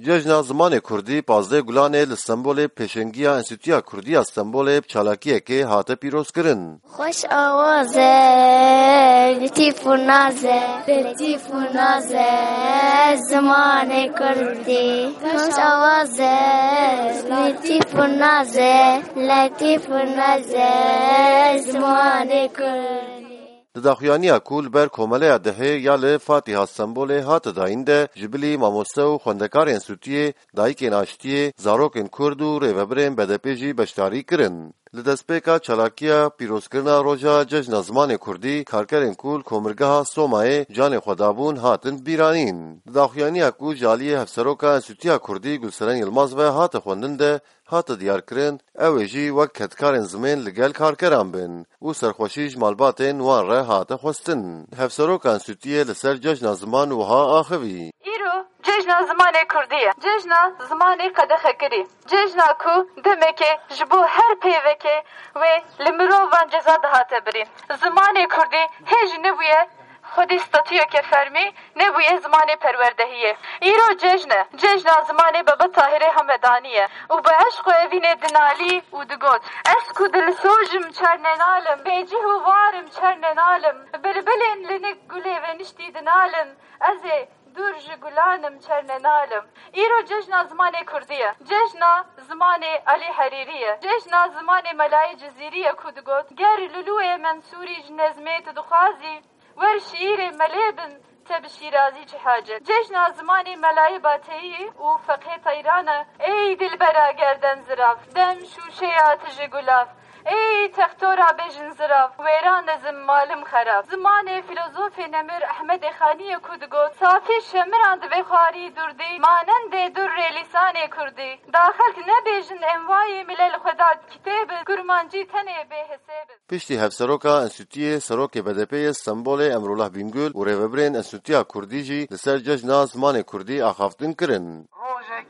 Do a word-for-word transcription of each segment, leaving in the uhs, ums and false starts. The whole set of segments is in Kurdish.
Cejna Zimanê Kurdî pazdeh Gulanê li Stenbolê pêşengiya Enstîtuya Kurdî ya Stenbolê bi çalakiyekê hate pîrozkirin. Xweş awaz e, letîf û naz e, letîf û naz e, zimanê kurdî. Xweş awaz e, letîf û naz e, letîf û naz e, zimanê kurdî. Di daxuyaniya ku li ber Komeleya Dihê ya li Fatiha Stenbolê hate dayîn de ji bilî mamoste û xwendekarên Enstîtuyê, dayikên aştiyê, zarokên Kurd û rêvebirên B D P jî beşdarî kirin. Li destpêka çalakiya pîrozkirina roja Cejna Zimanê Kurdî, karkerên ku li Komirgeha Somayê canê xwe dabûn hatin bîranîn. Di daxuyaniya ku ji aliyê Hevseroka Enstîtuya Kurdî Gulseren Yilmaz ve hate xwendin de hate diyarkirin, ew ê jî wek kedkarên zimên li gel karkeran bin û serxweşî ji malbatên wan re hate xwestin. Hevseroka Enstîtuyê li ser Cejna Ziman wiha axivî. Îro Cejna Zimanê Kurdî ye. Cejna zimanê qedexekirî. Cejna ku demekê ji bo her peyvekê wê li mirovan ceza dihate birîn. Zimanê Kurdî hê jî nebûye xwedî statuyeke fermî, nebûye zimanê perwerdehiyê. Îro cejn e. Cejna zimanê Baba Tahirê Hamedanî ye û bi eşq û evînê dinalî û digot, ez ku dilsoz im çerne nalim, bêcih û war im çerne nalim, bilbilên li nik gulê veniştî dinalin, ez ê dûr ji gulan im çerne nalim. Îro cejna zimanê kurdî ye. Cejna zimanê Elî Herîrî ye. Cejna zimanê Melayê Cizîrî ye ku digot, ger Lulûyê Mensûrî ji nezmê tu dixwazî, wer şiîrê melê bin, te bi şîrazî çi hacet. Cejna zimanê Melayê Bateyî û Feqê Teyran e. Ey dilbera gerden zirav, dem şûşeya tu ji gulav. Ey textora bêjin zirav, wêran e zim malim xerab. Zimanê filozofê nemir Ehmedê Xanî ye ku digot, safî şemiran divê xwarî durdî, manendê durrê lîsanê kurdî. Da xelk nebêjin envayê milel xwe da kitêbin, kurmancî tenê bê hesêbin. Piştî Hevseroka Enstîtuyê, Serokê B D P'ê yê Stenbolê Emrullah Bingöl û rêvebirên Enstîtuya Kurdî jî li ser Cejna Zimanê Kurdî axaftin kirin. Rojek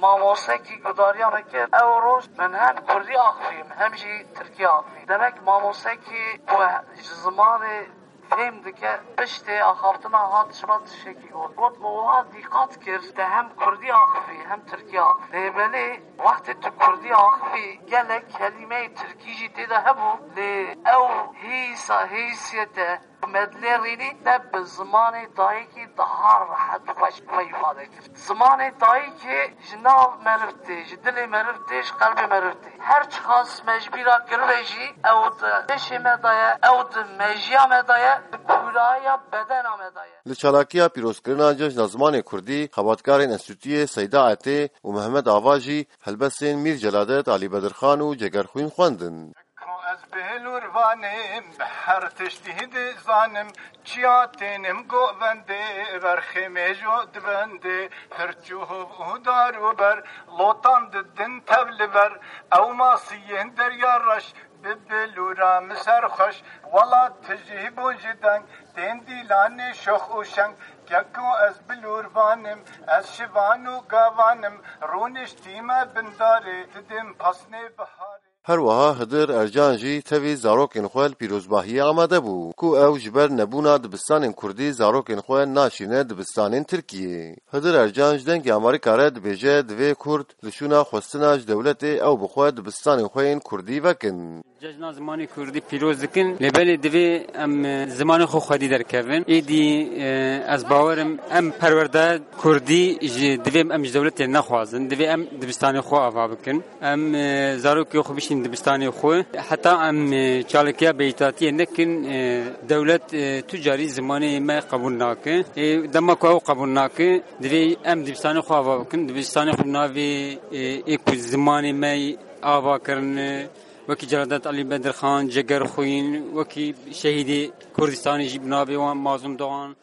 mamosekî gudariya me kir. Ew roj min hem kurdî axivîm, hem jî tirkî axivîm. Demek mamosekî ku ji zimanê fêm dike, piştê axaftina hat ji me tiştekî got. Got, me wiha dîqat kir, te hem kurdî axivî, hem tirkî axivî. Lê belê wextê tu kurdî axivî, gelek kelîmeyê tirkî jî tê de hebû. Lê ew hîsa, hîsiyete me dilê rînî, te bi zimanê dayikî daha rehet xweş xwe îfade kir. Zimanê dayikê ji nav meriv tê, ji dilê meriv tê, ji qelbê meriv tê. Her çiqas me ji bîra kiribe jî, ew di pêşê me de ye, ew di mejiya me de ye, di kûraya bedena me de ye. Li çalakiya pîrozkirina Cejna Zimanê Kurdî, xebatkarên Enstîtuyê Seyda Etê û Mehmet Ava jî helbestên Mîr Celadet, Alî Bedirxan û Cegerxwîn xwendin. Ko ez bêlûrvan im, her tiştî dizanim, çiya tênim govendê, ver xêmêjo dibendê, hirç û hov û dar û ber, lotan didin tev li ber, ew masiyên derya reş, bi bilûra min ser xweş, welat tijî bûn ji deng, tên dîlanê şox û şeng, keko ez bilûrvan im, ez şivan û gavan im, rûniştîme bindarê, didim pasnê biharê. Her wiha Hidir Ercan jî tevî zarokên xwe li pîrozbahiyê amade bû, ku ew ji ber nebûna dibistanên kurdî zarokên xwe naşîne dibistanên Tirkiyê. Hidir Ercan ji Dengê Amerîka re dibêje, divê kurd li şûna xwestina ji dewletê ew bi xwe dibistanên xwe yên kurdî vekin. Cejna zimanê kurdî pîroz dikin, lê belê divê em, e, zimanê xwe xwedî derkevin. Êdî, e, ez bawer im em perwerde kurdî ji, divê em ji dewletê nexwazin, divê em dibistanê xwe ava bikin. Em, e, zarokê xwe bişînin dibistanê xwe. Heta em, e, çalakiya beytatiyê nekin, e, dewlet, e, tu carî zimanê me qebûl nake. E, dema ku ew qebûl nake, divê em dibistanê xwe ava bikin. Dibistanê xwe navê, e, ê ku zimanê me ava kirin, e, wekî Celadet Alî Bedirxan, Cegerxwîn, wekî şehîdê Kurdistanê jî bi navê wan Mazlûm Doğan.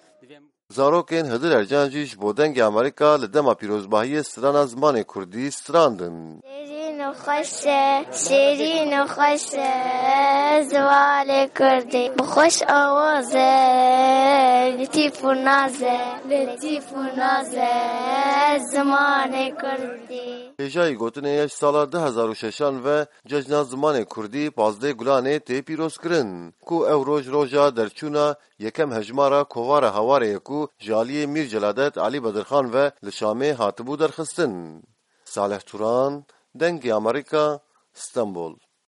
Zarokên Hidir Ercan jî ji bo Dengê Amerîka li dema pîrozbahiyê strana zimanê kurdî strandin. Dêrîn û Xweş e, şêrîn û xweş e, zimanê kurdî. Bi xweş awaz e, letîf û naz e, letîf û naz e, zimanê kurdî. Hêjayî gotinê ye ji sala du hezar û şeşan ve Cejna Zimanê Kurdî pazdeh Gulanê tê pîrozkirin, ku ew roj roja derçûna yekem hejmara Kovara Hawarê ye ku ji aliyê Mîr Celadet Alî Bedirxan ve li Şamê hatibû derxistin. Salih Turan, Dengê Amerîka, Stenbol.